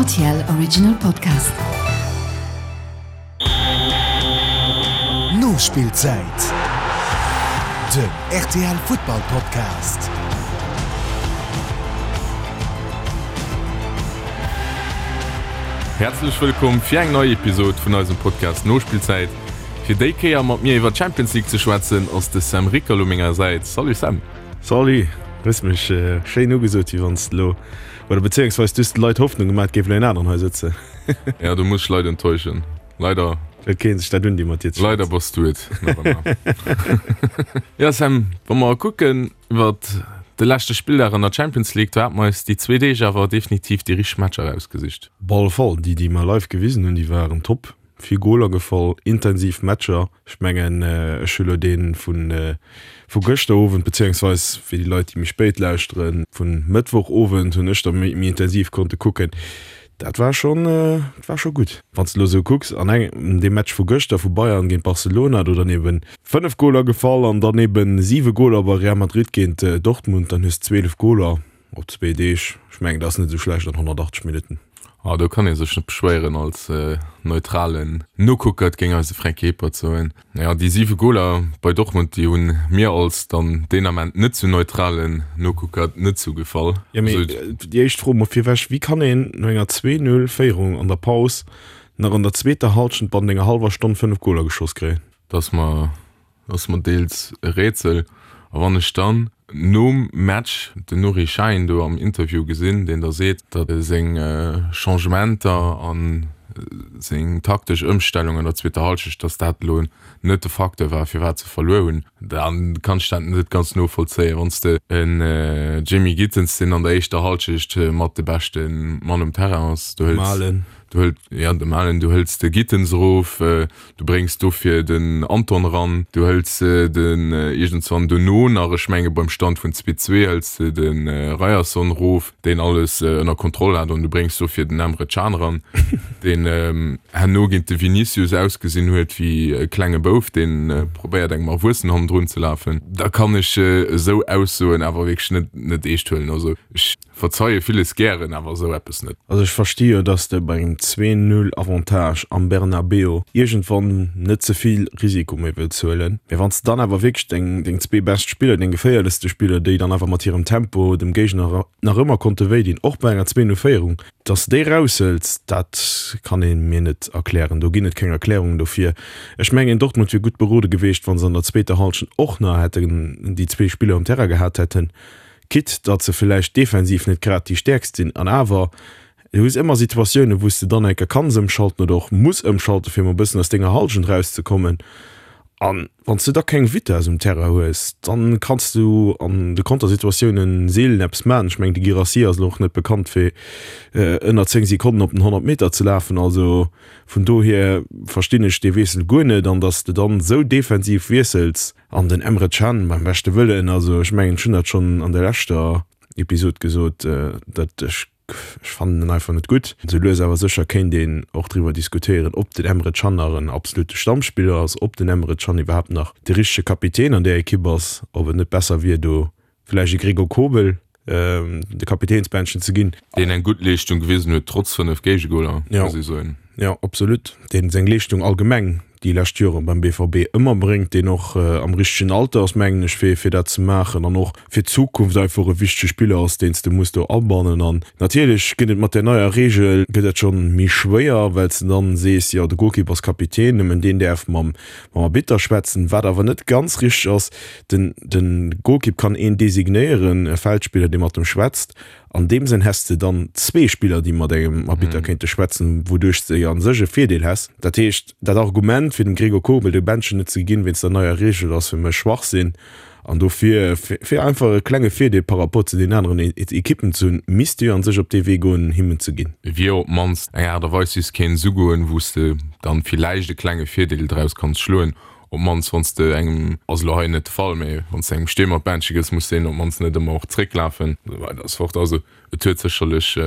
RTL Original Podcast. Nospillzäit, den rtl Futtball Podcast. Häerzlech wëllkomm fir eng nei Episode vun eisem Podcast Nospillzäit. Fir déi Kéier mat mir iwwer d'Champions League ze schwätzen ass de Sam Rickerl u menger Säit. Salut Sam! Salut, hues mech schéin ugesot wéi wanns de lo, oder bezéiungsweis du hues de Leit Hoffnung gemaat, géif lo een aneren hei sëtzen. Ja, do muss ech Leit enttäuschen. Leider. Huet keen sech dat un déi mat dir ze schwätzen. Leider bass du et nach ëmmer. Ja Sam, wa mer kucken iwwert de leschte Spilldag an der Champions League, do hate mer eis déi zwee Deeg awer definitiv déi richteg Matcher erausgesicht. Op alle Fall, déi déi mer live gewisen hunn, déi waren top. Vill Goler gefall, intensiv Matcher. Ech mengen, ech hu lo dee vu gëschter Owend, beziéungsweis fir déi Leit, déi méi spéit lauschteren, vu Mëttwochowend hunn ech da méi intensiv konnte kucken. Dat war schonn, dat war scho gutt. Wann s de lo esou kucks, an engem, deem Match vu gëschter vu Bayern géint Barcelona, do dann eben 5 Goler gefall an dann eben 7 Goler bei Real Madrid géint Dortmund, dann hues de 12 Goler. Op zwee Deeg, ech mengen dat ass net esou schlecht an 180 Minutten. Ah, do kann ee sech net beschwéieren als neutralen Nokucker, et géing eise Fränk Hebert soen. Jo, déi 7 Goler bei Dortmund, déi hunn mir als dann deen Ament net sou neutralen Nokucker net sou gefall. Jo, mee déi éischt Fro mol virwech, Wéi kann een no enger 2, 0 Féierung an der Paus nach an der zweeter Hallschent bannent enger hallwer Stonn 5 Goler geschoss kréien? Dass mer Ass mer deels e Rätsel. A wann ech dann nom Match den Nuri Sahin do am Interview gesinn, deen da seet, datt seng Changementer a seng taktesch Ëmstellung an der zweeter Hallschecht, datt dat elo net de Facteur war, firwat se verluer hunn, da kann ech dat net ganz novollzéien. Wann s de en Jamie Gittens, deen an der éischter Hallschecht mat de beschte Mann um Terrain ass, du hëls, du hëls, jo de Malen, du hëls de Gittens erof, Du bréngs dofir den Anton eran, du hëls den iergendswann dono nach, ech menge beim Stand vun 2, 2 hëls de de Ryerson erof, deen alles ënner Kontroll hat, an du bréngs dofir den Emre Can eran, deen herno géint de Vinicius ausgesinn huet wéi e klenge Bouf, deen probéiert engem Erwuessenen hannendrun ze lafen. Da kann ech esou Aussoen awer wierklech net net eescht huelen. Also ech. Verzeie villes gären, awer esou eppes net. Also ech versti jo, dass de bei engem 2, 0 Avantage am Bernabeu iergendwann net ze vill Risiko méi wëlls huelen. Mee wann s de dann awer wierklech deng deng zwee bescht Spiller, deng geféierlechste Spiller, déi dann awer mat hirem Tempo dem Géigner nach ëmmer konnte wéi dinn, och bei enger 2, 0 Féierung, dass de déi eraushëls, dat kann ee mir net erklären. Do ginn et keng Erklärungen dofir. Ech mengen, Dortmund wier gutt berode geweecht, wa se an der zweeter Hallschent och nach hätten déi zwee Spiller um Terrain gehat hätten. Quitte datt se villäicht defensiv net grad déi stäerkst sinn. An awer, du hues ëmmer Situatiounen, wou s de dann eng Kéier kanns ëmschalten oder och muss ëmschalten, fir emol e bëssen aus denger Hallschent erauszekommen. An wann s du da keng Vitess um Terrain hues, dann kanns du an de Kontersituatiounen seelen eppes maachen. Ech mengen, de Guirassy ass elo och net bekannt, fir ënner 10 Sekonnen op den 100 Meter ze lafen. Also vun dohier verstinn ech dee Wiessel guer net. An datt s de dann esou defensiv wiessels, An den Emre Can, beim beschte Wëllen, also ech mengen, ech hunn dat schonn an der leschter Episod gesot, datt ech, ech fannen en einfach net gutt. Sou lues awer sécher kéint een och driwwer diskutéieren, ob den Emre Can nach en absolute Stammspiller ass, ob den Emre Can iwwerhaapt nach de richtege Kapitän an där Ekipp ass, ob et net besser wier, do Vläicht e Gregor Kobel de Kapitänsbändchen ze ginn. Deen eng gutt Leeschtung gewisen huet, trotz 5 Géigegoler, muss ee soen. Jo, absolut. Deen seng Leeschtung allgemeng déi lescht Jore beim BVB ëmmer bréngt, deen och am richtegen Alter ass, mengen ech, fir fir dat ze maachen an och fir d'Zukunft einfach e wichtege Spiller ass, deen s de muss do abannen. An natierlech gëtt et mat där neier Reegel gëtt dat schonn méi schwéier, well s de dann sees, jo de Golkipp ass Kapitän, nëmmen deen däerf mam mam Arbitter schwätzen, wat awer net ganz richteg ass. Den den Golkipp kann een designéieren, e Feldspiller, dee mat em schwätzt. An deem Sënn häss de dann zwee Spiller, déi mat engem Arbitter kéinte schwätzen, wouduerch s de jo an sech e Virdeel häss. Dat heescht, dat Argument, fir dem Gregor Kobel de Bändchen net ze ginn, wéinst der neier Reegel, ass fir mech Schwachsinn. An dofir, fir einfach e klenge Virdeel par rapport zu den aneren Ekippen ze hunn, misst de jo an sech op dee Wee goen, him en ze ginn. Et wier op d'mannst eng Aart a Weis, wéi s kéints ugoen, wou s de dann villäicht e klenge Virdeel draus kanns schloen. Op d'mannst wann s de engem, ass elo hei net de Fall, mee wann s de engem Stiermer d'Bändche gëss, muss deen op d'mannst net ëmmer och zrécklafen, esou weider esou fort. Also et huet sécherlech.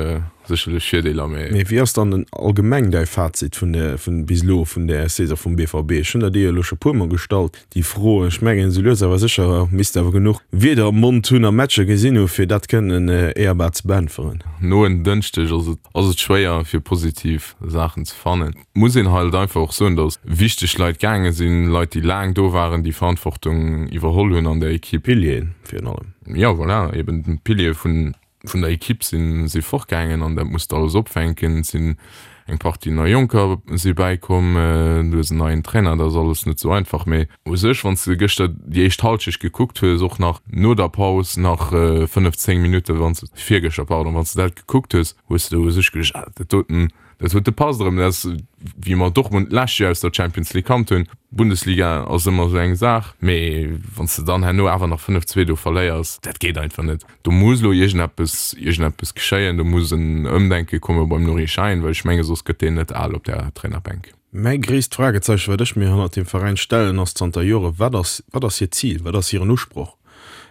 Sécherlech Virdeeler, mee. Mee wéi ass dann den allgemeng däi Fazit vun der, vun bis elo vun der Saison vum BVB? Ech hunn der déi jo elo scho puer mol gestallt, déi Fro. Ech mengen, esou lues awer sécher misst de awer genuch Wierder am Mond hunn a Matcher gesinn hu fir dat kënnen éierbar ze beäntweren. No en Dënschdeg ass et, ass et schwéier fir positiv Saachen ze fannen. Muss een halt einfach och soen, datt wichteg Leit gaange sinn, Leit déi laang do waren, déi Verantwortung iwwerholl hunn an der Equipe. Pilieren virun allem. Jo, voilà, eben d'Piliere vun Vun der Equipe sinn si fortgaangen an dat muss de alles opfänken. Et sinn eng Partie nei Jonker si bäikomm, du hues en neien Trainer, dat ass alles net esou einfach. Mee u sech, wann s de gëschter déi éischt Hallschecht gekuckt hues, och nach no der Paus nach 5, 10 Minutten, wann s de, virgëschter, pardon, wann s de dat gekuckt hues, hues de u sech geduecht, ah dat doten, Dat huet de passt erëm. Dat ass, wéi mer Dortmund d'lescht Joer aus der Champions League kannt hunn. Bundesliga ass ëmmer esou eng Saach, mee wann s de dann herno awer nach 5, 2 do verléiers, dat geet einfach net. Do muss elo iergendeppes, iergendeppes geschéien, do muss en Ëmdenke komme beim Nuri Sahin, well ech menge soss gëtt deen net al op där Trainerbänk. Mäi gréisst Fragezeichen, wat ech mir hannert deem Veräin stellen, ass zanter Jore, Wat ass, wat ass hiert Zil, wat ass hiren Usproch?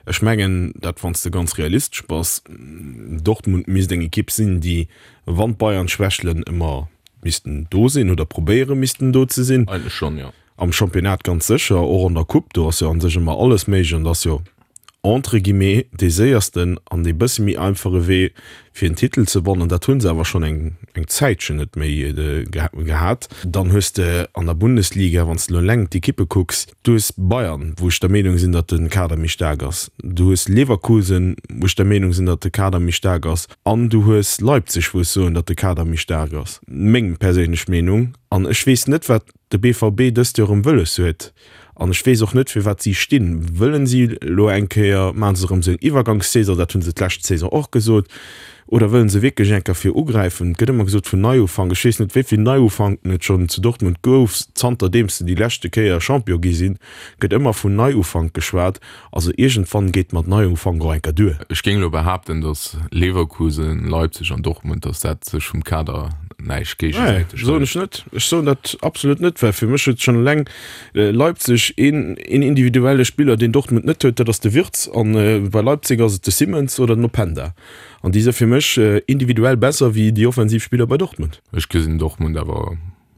Ech mengen, dat wann s de ganz realistesch bass, Dortmund misst eng Ekipp sinn, déi, wann d'Bayern schwächelen, ëmmer missten do sinn oder probéiere missten do ze sinn. Eigentlech schonn, jo. Am Championnat ganz sécher, och an der Coupe, do ass jo a sech ëmmer alles méiglech an et ass jo entre guillemets dee séiersten an dee bësse méi einfache Wee fir en Titel ze wannen. Dat hu se awer schonn eng eng Zäitchen net méi gehat. Dann hues de an der Bundesliga, wann s de elo eleng d'Ekippe kucks, Du hues Bayern, wou ech der Meenung sinn, datt de Kader méi staark ass. Du hues Leverkusen, wou ech der Meenung sinn, datt de Kader méi staark ass. An du hues Leipzig, wou ech soen, datt de Kader méi staark ass. Meng perséinlech Meenung. An ech weess net, wat de BVB dëst Joer erëm wëlles huet. An ech weess och net, fir wat si stinn. Wëllen si elo eng Kéier, maache se erëm esou eng Iwwergangssaison, dat hu se d'lescht Saison och gesot, Oder wëllen se wierklech eng Kéier fir ugräifen? Et gëtt ëmmer gesot vun Neiufank. Ech weess net, wéi vill Neiufanken et schonn zu Dortmund gouf. Zanterdeems se déi leschte Kéier Champion gi sinn, gëtt ëmmer vun Neiufank geschwat. Also iergendwann geet mat Neiufank och eng Kéier duer. Ech géing elo behaapten, datt Leverkusen, Leipzig an Dortmund, datt dat sech vum Kader näischt géigesäiteg hëlt. Soen ech net. Ech soen dat absolut net, well fir mech huet schonn eleng Leipzig een individuelle Spiller, deen Dortmund net huet, dat ass de Wirtz. An bei Leipzig ass et de Simmons oder den Openda. An déi si fir mech individuell besser wéi déi offensiv Spiller bei Dortmund. Ech gesinn Dortmund awer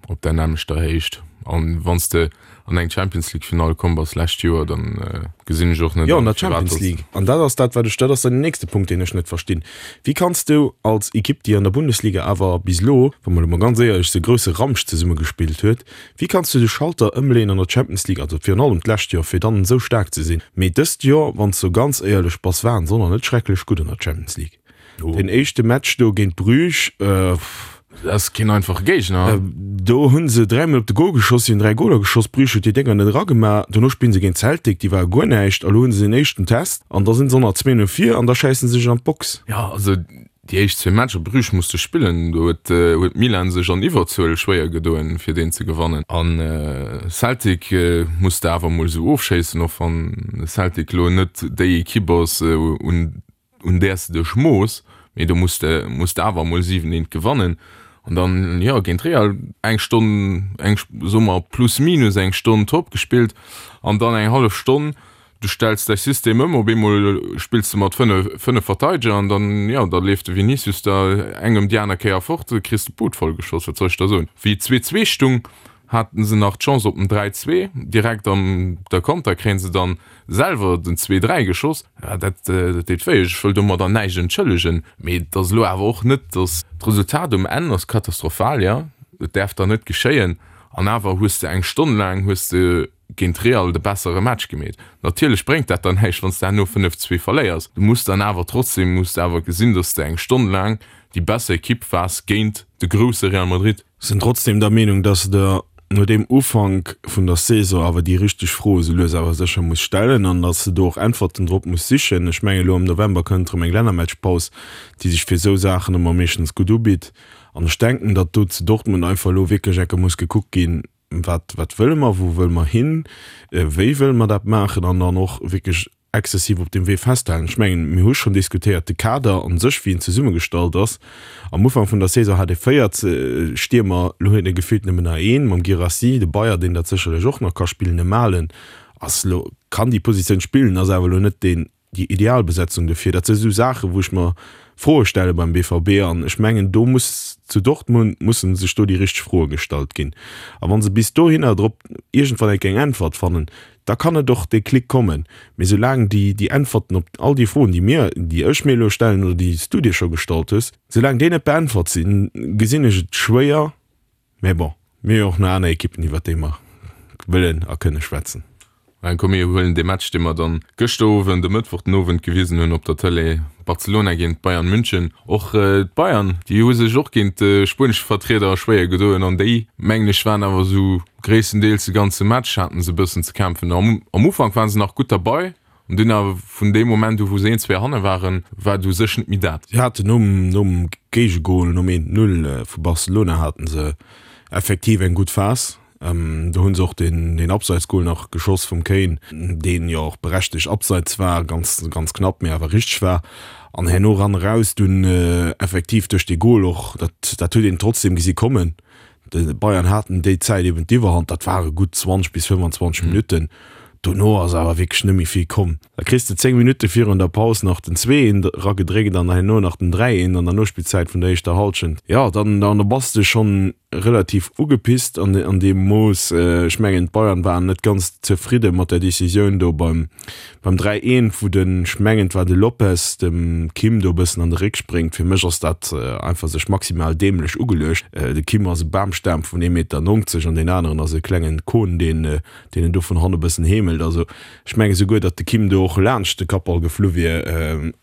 op der nämmlechter Héicht. An wann s de an eng Champions League Finall komm bass lescht Joer, dann gesinn ech och net an, Jo, an der Champions League. An dat ass dat, wat ech, dat ass dann den nächste Punkt, deen ech net verstinn. Wéi kanns du als Ekipp, déi an der Bundesliga awer bis elo, wa mer elo mol ganz éierlech si, grousse Ramsch zesumme gespillt huet, Wéi kanns du de Schalter ëmleeën an der Champions League, also virun allem d'lescht Joer, fir dann esou staark ze sinn? Mee dëst Joer, wann s du ganz éierlech bass, waren se och nach net schrecklech gutt an der Champions League. Den éischte Match do géint Bruges, Dat ass keen einfache Géigner. Do hu se dräimol op de Gol geschoss, si hunn 3 Goler geschoss, Bruges huet déi Dénger net eragemaach. Dono spillen se géint Celtic, déi ware guer näischt. A lo hu se den éischten Test an da sinn se och nach 2-0 vir an da schéissen se sech an d'Box. Jo, also Déi éischt zwee Matcher, Bruges musste spillen, do huet huet Milan sech an Iwwerzuel schwéier gedoen, fir deen ze gewannen. An Celtic muss de awer emol esou ofschéissen, och wann Celtic elo net déi Ekipp ass, un un där s de dech mooss, mee do muss de muss de awer emol 7, eent gewannen. An dann, jo, géint Real eng Stonn, eng, soe mer plus minus eng Stonn top gespillt an dann eng hallef Stonn Du stells däi System ëm, op eemol spills de mat 5 Verteideger an dann, jo, da leeft de Vinicius der eng ëm déi aner Kéier fort, da kriss de d'Bud voll geschoss. Wat soll ech der soen? Wéi et 2, 2 stung, haten se nach d'Chance op den 3, 2. Direkt an der Konter kréien se dann selwer den 2, 3 geschoss. Ja, dat, dat deet wéi. Ech wëll domadder näischt entschëllegen, mee et ass elo awer och net, dass d'Resultat um Enn ass katastrophal, jo, et däerf dann net geschéien an awer hues de eng Stonn laang hues de géint Real de bessere Match gemeet. Natierlech bréngt dat dann näischt, wann s de herno 5, 2 verléiers. Du muss dann awer trotzdem muss de awer gesinn, dass de eng Stonn laang déi besser Ekipp waars géint de grousse Real Madrid. Sinn trotzdem der Meenung, dass de no deem Ufank vun der Saison awer déi richteg Froe sou lues awer sécher muss stellen an dass de do och Äntwerten drop muss sichen. Ech mengen, elo am November kënnt erëm eng Lännermatchpaus, déi sech fir esou Saachen ëmmer meeschtens gutt ubitt. An ech denken, datt do zu Dortmund einfach elo wierklech enke muss gekuckt ginn, Wat, wat wëlle mer, wou wëlle mer hin, wéi wëlle mer dat maachen an dann och wierklech exzessiv op deem Wee festhalen. Ech mengen, mir hu schonn diskutéiert, de Kader a sech, wéi en zesummegestallt ass. Am Ufank vun der Saison hat ee 4 Stiermer, elo huet ee gefillt nëmmen nach een, mam Guirassy, de Beyer, deen dat sécherlech och nach ka spillen, de Malen ass elo, kann déi Positioun spillen, ass awer elo net deen déi ideal Besetzung dofir. Dat si sou Saachen, wou ech mer. Froe stelle beim BVB an ech mengen do muss zu Dortmund mussen sech do déi richteg Froe gestallt ginn. A wa se bis dohinner drop iergendwann eng eng Äntwert fannen, da kann et och dee Klick kommen. Mee soulaang déi déi Äntwerten op all déi Froen, déi mir, déi ech mir elo stellen oder déi s du dir scho gestallt hues, soulaang déi net beäntwert sinn, gesinn ech et schwéier. Mä bon, mir hu jo och nach aner Ekippen, iwwert déi mer wëllen a kënne schwätzen. Mä komm, mir huelen dee Match, dee mer dann gëschter Owend, e Mëttwoch den Owend gewisen hunn op der Tëlee, Barcelona géint Bayern München. Och d'Bayern, déi hu sech och géint de spuenesche Vertrieder schwéier gedoen an déi, mengen ech, waren awer esou gréisstendeels de ganze Match haten se e bëssen ze kämpfen. Am Ufank waren se nach gutt derbei an dunn awer vun deem Moment u wou se een, zwee hanne waren, war et u sech net méi dat. Si haten nom nom Géigegol, nom 1, 0 vu Barcelona haten se effektiv eng gutt Phas. Do hu se och deen deen Abseitsgol nach geschoss vum Kane, deen jo och berechtegt Abseits war, ganz ganz knapp, mee awer richteg war. An herno ran eraus dunn effektiv duerch dee Gol och, dat dat huet een trotzdem gesi kommen. De Bayern haten déi Zäit eben d'Iwwerhand, dat ware gutt 20 bis 25 Minutten. Dono ass awer wierklech net méi vill komm. Da kriss de 10 Minutte virun der Paus nach den 2, 1 eragedréckt an herno nach den 3, 1 an der Nospillzäit vun der éischter Hallschent. Jo, dann dann bass de schonn relativ ugepisst an an deem Mooss. Ech mengen d'Bayern waren net ganz zefridde mat der Decisioun do beim beim 3, 1, wou den, ech mengen et war de Lopez, dem Kim do e bëssen an de Réck spréngt. Fir mech ass dat einfach sech maximal däämlech ugeluecht. De Kim ass e Bamstam vun 1,90 Meter an deen aneren ass e klengen Kohn, deen deen en do vun hanne bëssen heemelt. Also ech menge souguer, datt de Kim do och laanscht de Kappball geflu wier,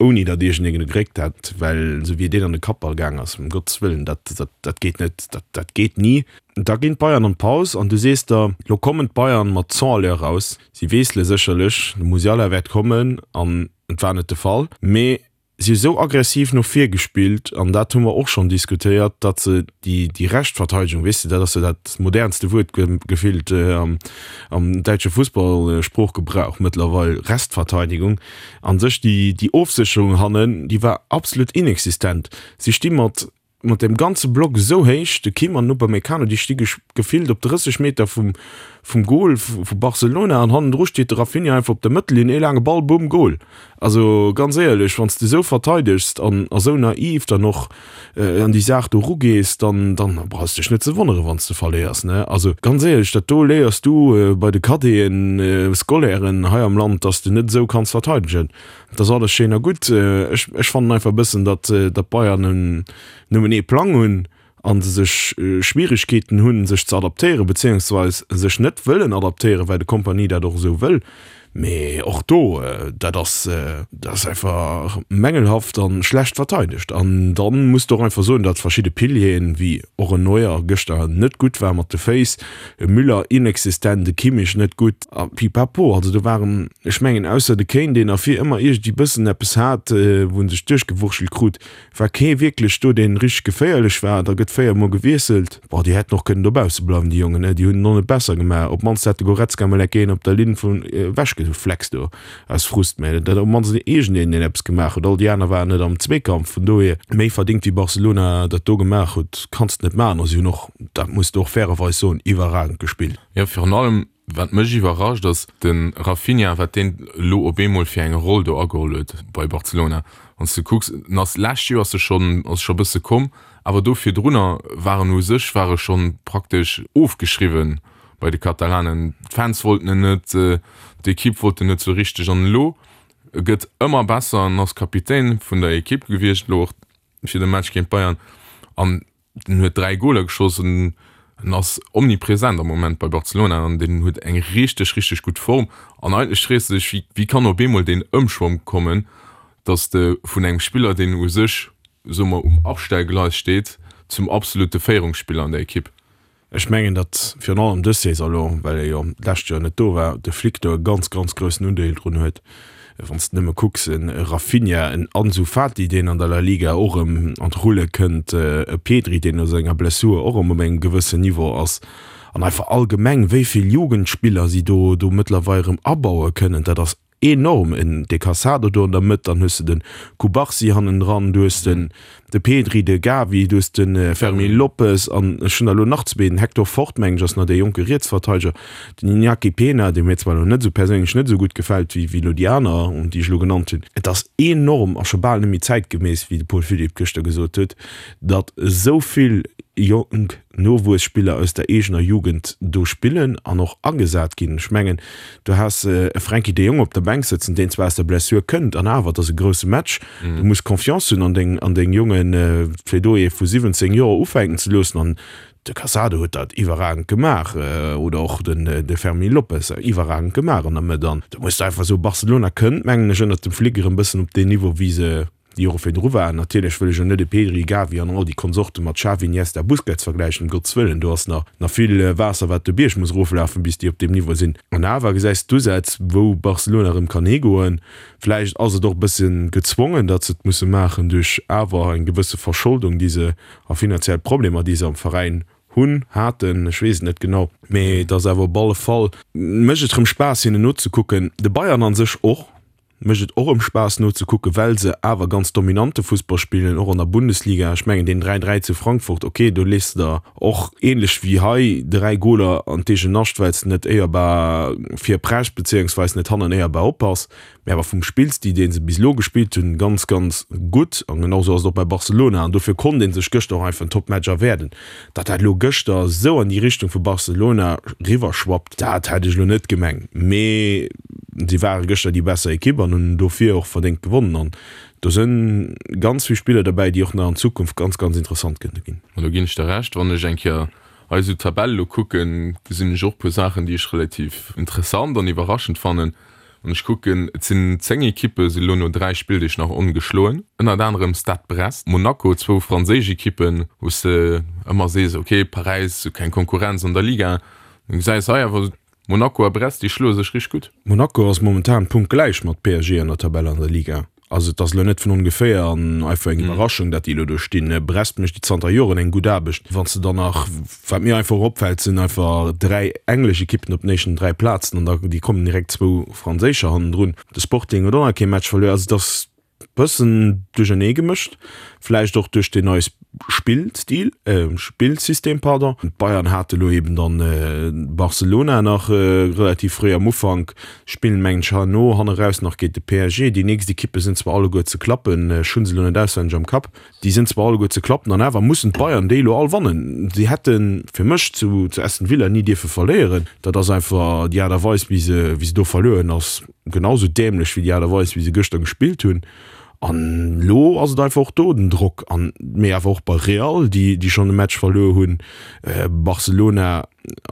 ouni datt iergendeen e gegréckt hätt, well esou wéi deen an de Kappball gaang ass, ëm Gottes Wëllen, dat, dat, dat geet net, dat, dat geet ni. Da ginn d'Bayern an d'Paus an du sees der, lo kommen d'Bayern mat 100 à l'heure raus, si weessele sécherlech, de Musiala wäert kommen an et war net de Fall, mee Si hu sou aggressiv no vir gespillt, an dat hu mer och schonn diskutéiert, datt se déi, déi recht Verteidegung, weess de, dat ass jo dat modernste Wuert gefillt am, am däitsche Fussballsproochgebrauch mëttlerweil, Restverteidigung, a sech déi, déi Ofsécherung hannen, déi war absolut inexistent. Si sti mat mat dem ganze Block esou héich, de Kim an den Upamecano, déi sti gefillt op 30 Meter vum, vum Goal vu Barcelona an hannendru steet de Raphinha einfach op der Mëttellinn, ee laange Ball, bumm, Goal. Also ganz éierlech, wann s de esou verteidegst an esou naiv dann och an déi Saach do erugees, dann, dann brauchs de dech net ze wonneren, wann s de verléiers, ne? Also ganz éierlech, dat do léiers du bei de Cadeten, Scolairen hei am Land, dass de net esou kanns verteidegen. Dat ass alles schéin a gutt. Ech, ech fannen einfach e bëssen, datt, datt d'Bayern nëmmen ee Plang hunn a se sech Schwierigkeeten hunn, sech ze adaptéieren, beziéungsweis sech net wëllen adaptéieren, well de Kompany dat och esou wëll. Mee och do, dat ass, dat ass einfach mängelhaft a schlecht verteidegt. An da muss de och einfach soen, datt verschidde Pilieren, wéi och en Neuer gëschter net gutt war mat de Féiss, e Müller inexistent, e Kimmich net gutt a pipapo. Also do waren, ech mengen, ausser de Kane, deen ervir ëmmer iergendwéi bëssen eppes hat, wou en sech duerchgewurschtelt krut, war kee wierklech do, deen richteg geféierlech war. Da gëtt 4 mol gewiesselt. Boah, déi hätten och kënnen dobausse bleiwen, déi Jongen, déi hunn et och net besser gemaach. Op d'mannst hätt de Goretzka mol enk een op der Linn vun ewechgeflext do. Aus Frust, mä dat op mannst iergendeen deen eppes gemaach huet, all déi aner waren net am Zweekampf, vun dohier méi verdingt wéi Barcelona dat do gemaach huet kanns de net maachen a si hunn och, dat muss de och fairerweis soen, iwwerragend gespillt. Jo, virun allem wat mech iwwerrascht ass de Raphinha, wat deen elo op eemol fir eng Roll do ageholl huet bei Barcelona. Wann s de kucks, en ass d'lescht Joer ass e schonn ass e scho bësse komm, awer do virdrunner war en u sech war e schonn praktesch ofgeschriwwen bei de Katalanen. D'Fans wollten en net, d'Ekipp wollt en net sou richteg an elo e gëtt ëmmer besser an ass Kapitän vun der Ekipp gewiescht elo och fir de Match géint Bayern an den huet 3 Goler geschoss an en ass omnipresent am Moment bei Barcelona an den huet eng richteg richteg gutt Form an eigentlech frees de dech wéi wéi kann op eemol deen Ëmschwong kommen, datt de vun engem Spiller deen u sech soe mer um Abstellgleis steet zum absolute Féierungsspiller an der Ekipp. Ech mengen, datt virun allem dës Saison elo, well e jo d'lescht Joer net do war, de Flick do e ganz, ganz groussen Undeel drun huet. Wann s de nëmme kucks, e Raphinha, en Ansu Fati, deen an der La Liga och erëm an d'Rulle kënnt, e Pedri, deen no senger Blessur och erëm op engem gewëssen Niveau ass, an einfach allgemeng, wéi vill Jugendspiller si do do mëttlerweil erëm abaue kënnen, dat ass. enorm. En de Cassado do an der Mëtt, dann hues de den Cubarsí hannendran, du hues den de Pedri, de Gavi, du hues de Fermin Lopez an ech hunn der elo nach zwee, den Hector Fort mengen ech ass nach dee jonke Rietsverteideger, den Iñaki Pena, dee mir zwar elo net esou perséinlech net esou gutt gefält wéi elo déi aner, déi ech elo genannt hunn. Et ass enorm a scho bal net méi zäitgemäss, wéi de Paul Philipp gëschter gesot huet, datt esou vill jonk Nowuesspiller aus der eegener Jugend do spillen an och agesat ginn. Ech mengen, du has e Frenkie de Jong op der Bänk sëtzen, deen zwar aus der Blessure kënnt, an awer, et ass e grousse Match, du muss Confiance hunn an deng, an deng Jongen, fir do ee vu 17 Joer ufänken ze loossen. An de Casado huet dat iwwerragend gemaach, oder och den, de Fermin Lopez, iwwerragend gemaach an der Mëtt. An do muss de einfach soen, Barcelona kënnt, mengen ech, ënnert dem Flick erëm e bëssen op deen Niveau, wéi se déi Jore virdru waren. Natierlech wëll ech elo net e Pedri, Gavi an all déi Konsorte mat Xavi, Iniesta, Busquets vergläichen, ëm Gottes Wëllen, do ass nach nach vill Waasser wat de Bierg muss eroflafen, bis déi op deem Niveau sinn. An awer gesäis de d'Usätz, wou Barcelona erëm kann higoen. Vläicht ass et och e bësse gezwongen, datt se et musse maachen duerch awer eng gewësse Verscholdung, déi se a finanziell Problemer, déi se am Veräin hunn, haten, ech weess et net genau, mee et ass awer op alle Fall, mécht et erëm Spaass hinnen nozekucken, de Bayern a sech och. Mécht et och erëm Spaass nozekucken, well se awer ganz dominante Fussball spillen, och an der Bundesliga. Ech mengen deen 3, 3 zu Frankfurt, ok, do lees de der och ähnlech wéi hei 3 Goler an d'eegen Nascht, well s de net éierbar virpreschs beziéungsweis net hannen éierbar oppass. Mee awer vum Spillstil, dee se bis elo gespillt hunn, ganz, ganz gutt. An genau esou ass et och bei Barcelona. An dofir konnt ee sech gëschter och einfach en Toppmatch erwäerden. Datt dat elo gëschter esou an déi Richtung vu Barcelona riwwerschwappt, dat hätt ech elo net gemengt. Mee si ware gëschter déi besser Ekipp an hunn dofir och verdéngt gewonnen. An do si ganz vill Spiller derbäi, déi och nach an Zukunft ganz, ganz interessant kënnte ginn. An do ginn ech der Recht. Wann ech eng Kéier hei esou d'Tabell elo kucken, gesinn ech och e puer Saachen, déi ech relativ interessant an iwwerraschend fannen. Wann ech kucken, et sinn 10 Ekippe si lo no 3 Spilldeeg nach ongeschloen, ënnert anerem Stade Brest, Monaco, zwou franséisch Ekippen, wou s de ëmmer sees, ok, Paräis huet keng Konkurrenz an der Liga. Du gesäis hei awer, Monaco a Brest, déi schloe sech richteg gutt. Monaco ass momentan punktgläich mat PSG an der Tabell an der Liga. Also et ass elo net vun ongeféier an einfach eng Iwwerraschung, datt déi elo do stinn. Brest mécht zanter Joren eng gutt Aarbecht. Wann s de dann nach, wat mir einfach och opfält, sinn einfach 3 englesch Ekippen op den éischten 3 Plazen an da déi kommen direkt zwou franséischer hannendrun. De Sporting huet och nach kee Match verluer. Also et ass bëssen duerchernee gemëscht, vläicht och duerch deen neie Spillstil, Spillsystem, pardon. D'Bayern hate lo eben dann Barcelona nach relativ fréi am Ufank, spillen mengen ech herno hanneraus nach géint de PSG. Déi nächst Ekippe sinn zwar alleguer ze klappen, ech hu se elo net auswenneg am Kapp, déi sinn zwar alleguer ze klappen an awer mussen d'Bayern déi elo all wannen. Si hätte fir mech zu Aston Villa ni dierfe verléieren. Dat ass einfach déi Aart a Weis wéi se wéi se do verluer hunn ass genau sou dämlech wéi déi Aart a Weis wéi se gëschter gespillt hunn. An elo ass et einfach och do den Drock an, mee awer och bei Real, déi déi schonn e Match verluer hunn, Barcelona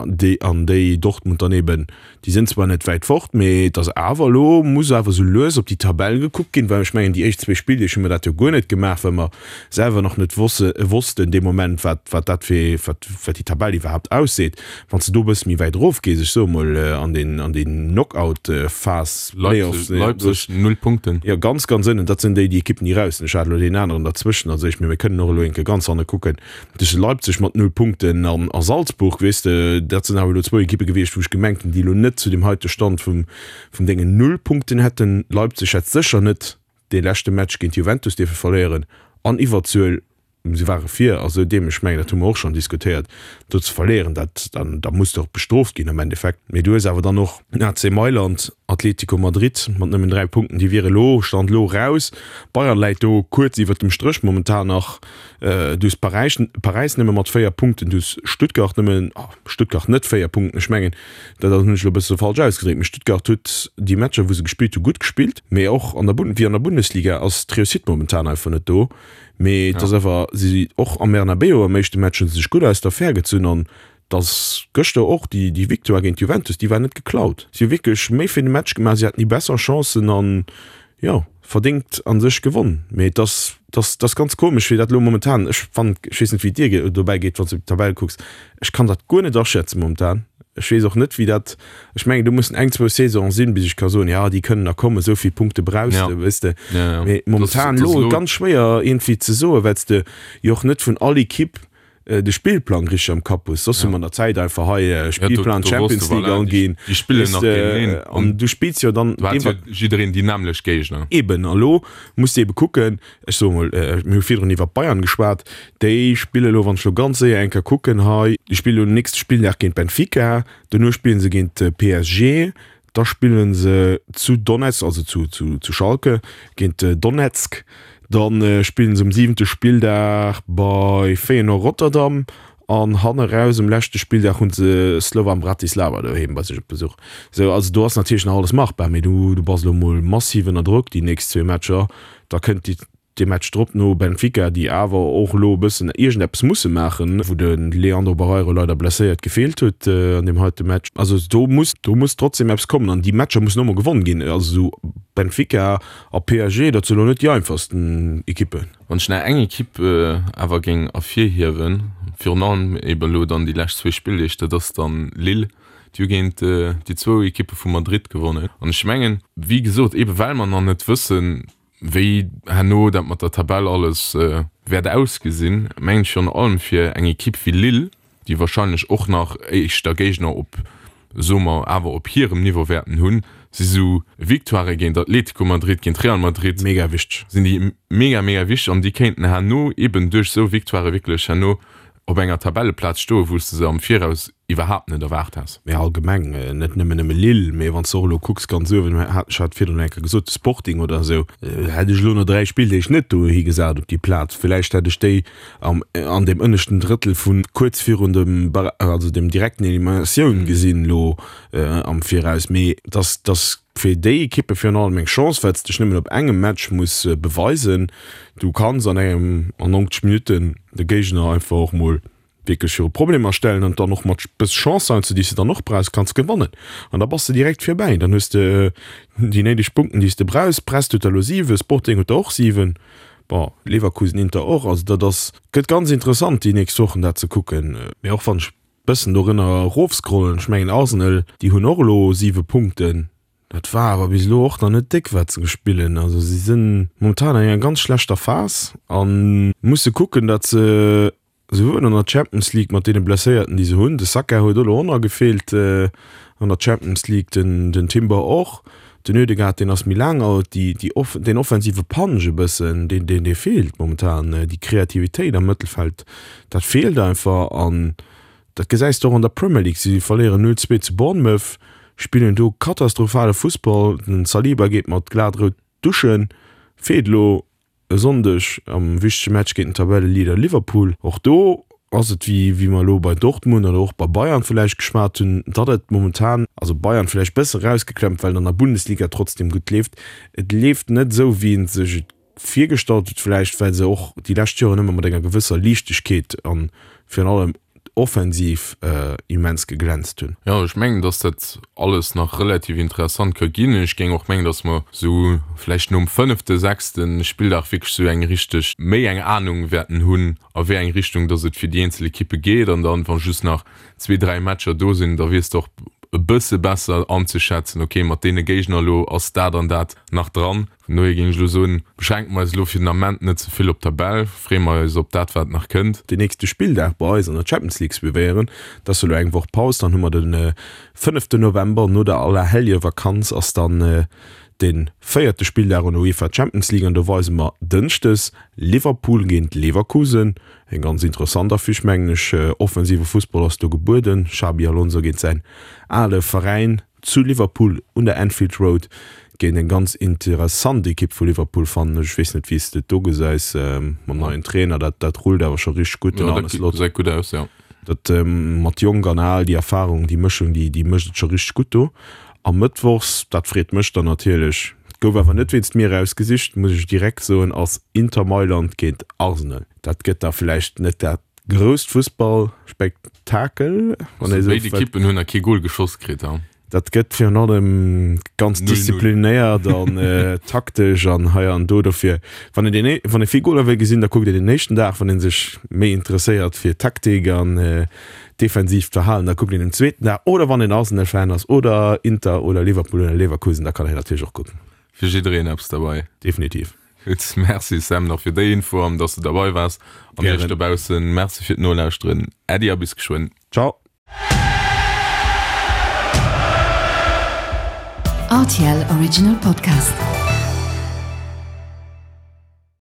déi an déi Dortmund dann eben, déi sinn zwar net wäit fort, mee et ass awer elo muss awer esou lues op déi Tabell gekuckt ginn, well ech mengen déi éischt zwee Spilldeeg hu mer dat jo guer net gemaach, well mer selwer nach net wosse wossten dee Moment wat wat dat fir wat wat déi Tabell iwwerhaapt ausseet. Wann s de do e bësse méi wäit erof gees, ech soe mol an den an déi Knockout-Phas, Playoffs, Leipzig, Leipzig null Punkten. Jo, ganz, ganz ënnen, dat sinn déi, déi Ekippen, déi raus sinn. Ech hat elo deen aneren derzwëschen, also ech, mee mir kënnen och elo enke ganz hanne kucken. Duerch Leipzig mat null Punkten an a Salzburg, weess de, dat sinn awer elo zwou Ekippe gewiescht, wou ech gemengt hunn, déi elo net zu deem heite Stand vum vum Déngen null Punkten hätten. Leipzig hätt sécher net dee leschte Match géint Juventus dierfe verléieren an Iwwerzuel Si ware vir a sou deem, ech mengen, dat hu mer och schonn diskutéiert, do ze verléieren, dat, dann, da muss de och bestrooft ginn am Endeffekt. Mee du hues awer dann och AC Mailand, Atlético Madrid mat nëmmen 3 Punkten, déi wiere lo, Stand lo, raus. Bayern läit do kuerz iwwert dem Stréch momentan nach. Du hues Paräis, Paräis nëmme mat 4 Punkten, du hues Stuttgart nëmmen, ah, Stuttgart net 4 Punkten, ech mengen, dat hunn ech elo e bësse falsch ausgedréckt, mee Stuttgart huet déi Matcher, wou se gespillt hu, gutt gespillt. Mee och an der Bund, wéi an der Bundesliga ass d'Reussite momentan einfach net do. Mee et ass awer, si och am Bernabeu am éischte Match hu se sech gutt aus der Affär gezunn an dass gëschter och déi déi Victoire géint d'Juventus, déi war net geklaut. Si hu wierklech méi fir de Match gemaach, si haten déi besser Chancen an jo, verdéngt a sech gewonn. Mee et ass, et ass, et ass ganz komesch wéi dat elo momentan, ech fannen, ech weess net wéi et dir dobäi geet, wann s de op d'Tabell kucks, ech kann dat guer net aschätzen momentan. Ech weess och net, wéi dat, ech mengen, do mussen eng, zwou Saisonen sinn, bis ech ka soen, jo, déi kënnen nach kommen, esou vill Punkte brauchs de, weess de. Mee momentan elo ganz schwéier iergendwéi ze soen, well s de jo och net vun all Ekipp. de Spillplang richteg am Kapp hues. Soss hu mer an der Zäit einfach hei Spillplan Champions League anginn. Déi spillen nach géinteneen. An du spills jo dann. Do hat jo jiddereen déi nämmlecht Géigner. Eben, a lo muss de ebe kucken, ech soe mol, mir hu virdrun iwwer Bayern geschwat, déi spille lo, wann ech lo ganz séier eng Kéier kucken hei, déi spille lo den nächste Spilldag géint Benfica, duerno spille se géint PSG, Da spillen se zu Donetsk, also zu, zu, zu Schalke géint Donetsk. Dann spillen se um siwente Spilldag bei Feyenoord Rotterdam an hanne raus um leschte Spilldag hunn se Slovan Bratislava doheem bei sech op Besuch. Sou, also do ass natierlech nach alles machbar, mee du, du bass elo mol massiv ënner Drock déi nächst zwee Matcher. Da kënnt déi Dee Match drop no Benfica, déi awer och elo e bëssen iergendeppes musse maachen, wou de Leandro Barreiro leider blesséiert gefeelt huet an deem heite Match. Also do muss, do muss trotzdem eppes kommen an déi Matcher mussen och mol gewonn ginn. Also esou Benfica a PSG, dat si elo net déi einfachsten Ekippen. Wann ech nach eng Ekipp awer géing ervirhiewen, virun allem eben elo dann déi lescht zwee Spilldeeg, dat ass dann Lille, déi hu géint déi zwou Ekippe vu Madrid gewonnen. An ech mengen, wéi gesot, ebe well mer nach net wëssen, Wéi herno dat mat der Tabell alles wäert ausgesinn, mengen ech virun allem fir eng Ekipp wéi Lille, déi wahrscheinlech och nach éischter Géigner op, soe mer, awer op hirem Niveau wäerten hunn, si sou Victoirë géint Atlético Madrid, géint Real Madrid, Mega wichteg. sinn déi mega, mega wichteg an déi kéinten herno eben duerch esou Victoirë wierklech herno op enger Tabelleplaz stoen, wou s de se am Viraus iwwerhaapt net erwaart häss. Mee allgemeng, net nëmmen nëmme Lille, mee wann s de och elo kucks ganz uewen, hat ech hat virdrun eng Kéier gesot, de Sporting oder esou, hätt ech elo no 3 Spilldeeg net dohi gesat op déi Plaz. Villäicht hätt ech déi am an deem ënneschten Drëttel vu kuerz virun dem Bar also dem direkten Eliminatioun gesinn elo am Viraus. Mee dass dass fir déi Ekippe virun allem eng Chance, well s dech nëmmen op engem Match muss beweisen. Du kanns an engem an 90 Minutten de Géigner einfach och mol wierklech viru Problemer stellen an dann och mat bëss Chance heiansdo, déi s de dann och brauchs, kanns gewannen. An da bass de direkt virbäi. Dann hues de déi néideg Punkten, déi s de brauchs. Brest huet der elo 7, Sporting huet der och 7, bon, Leverkusen, Inter och. Also dat ass, gëtt ganz interessant déi nächst Wochen dat ze kucken. Mee och wann ech bëssen dorënner erofscrollen, ech mengen Arsenal, déi hunn och elo 7 Punkten. Dat war awer bis elo och nach net déck wat se gespillen. Also si sinn momentan an enger ganz schlechter Phas a musse kucken, datt se souwuel an der Champions League mat deene Blesséierten déi se hunn, de Saka huet och elo och nach gefeelt an der Champions League, den den Timber och, den Ødegaard deen ass méi laang out, déi déi off deen offensive Punch e bëssen deen deen dee feelt momentan, déi Kreativitéit am Mëttelfeld dat feelt einfach an Dat gesäis de och an der Premier League, si verléieren 0, 2 zu Bournemouth, spillen do katastrophale Fussball, den Saliba geet mat glat rout duschen, feelt elo e Sonndeg am wichtege Match géint den Tabelleleader Liverpool. Och do ass et wéi wéi mer elo bei Dortmund oder och bei Bayern villäicht geschwat hunn, datt et momentan, also Bayern villäicht bësse rausgeklemmt, well et an der Bundesliga trotzdem gutt leeft, et leeft net esou wéi een sech et virgestallt huet, vläicht well se och déi lescht Joren ëmmer mat enger gewësser Liichtegkeet an virun allem offensiv immens geglänzt hunn. Jo, ech mengen, dass dat alles nach relativ interessant ka ginn. Ech géing och mengen, dass mer esou vläicht nom fënnefte, sechste Spilldag wierklech esou eng richteg, méi eng Anung wäerten hunn, a wéi eng Richtung dass et fir déi eenzel Ekippe geet. An dann, wa just nach zwee, dräi Matcher do sinn, da weess de och e bësse besser anzeschätzen, okay, mat deene Géigner elo ass dat an dat nach dran. Vun dohier géing ech elo soen, beschränke mer eis elo fir den Ament net ze vill op d'Tabell, freeë mer eis op dat, wat nach kënnt. Den nächste Spilldag bei eis an der Champions League suivéieren. Et ass elo eng Woch Paus, dann hu mer de fënneften November, no der Allerhelljevakanz ass dann de véierte Spilldag an der UEFA Champions League an do weise mer dënschdes Liverpool géint Leverkusen. Eng ganz interessant Affiche mengen ech. Offensive Fussball ass do gebueden, Xabi Alonso géint säin ale Veräin. Zu Liverpool un der Anfield Road géint eng ganz interessant Ekipp vu Liverpool, fannen ech. Ech weess net, wéi s de et do gesäis mam neien Trainer. Dat, dat rullt awer scho richteg gutt, den Arne Slot. Gesäit gutt aus, jo. Dat mat jonk an al, déi Erfarung, déi Mëschung, déi, déi mécht et scho richteg gutt do. A mëttwochs, dat freet mech dann natierlech, gouf awer net wéinst mir erausgesicht, muss ech direkt soen, ass Inter Mailand géint Arsenal. Dat gëtt da vläicht net dat Grousst Fussballspektakel. Also béid Ekippen hunn nach kee Gol geschoss kritt. Dat gëtt virun allem ganz disziplinéiert an taktesch an hei an do. Dofir, wann een deen, wann ee vill Goler wëll gesinn, da kuckt een den éischten Dag. Wann ee sech méi interesséiert fir Taktik an defensiivt Verhalen, da kuckt een den zweeten Dag. Oder wann een Arsenal-Fan ass oder Inter oder Liverpool oder Leverkusen, da kann een natierlech och kucken. Fir jiddereen eppes derbei. Definitiv. Gutt, Merci Sam nach fir déi Info an dass de derbei waars. An iech dobaussen Merci fir d'Nolauschteren. Äddi a bis geschwënn. Ciao. RTL Original Podcast.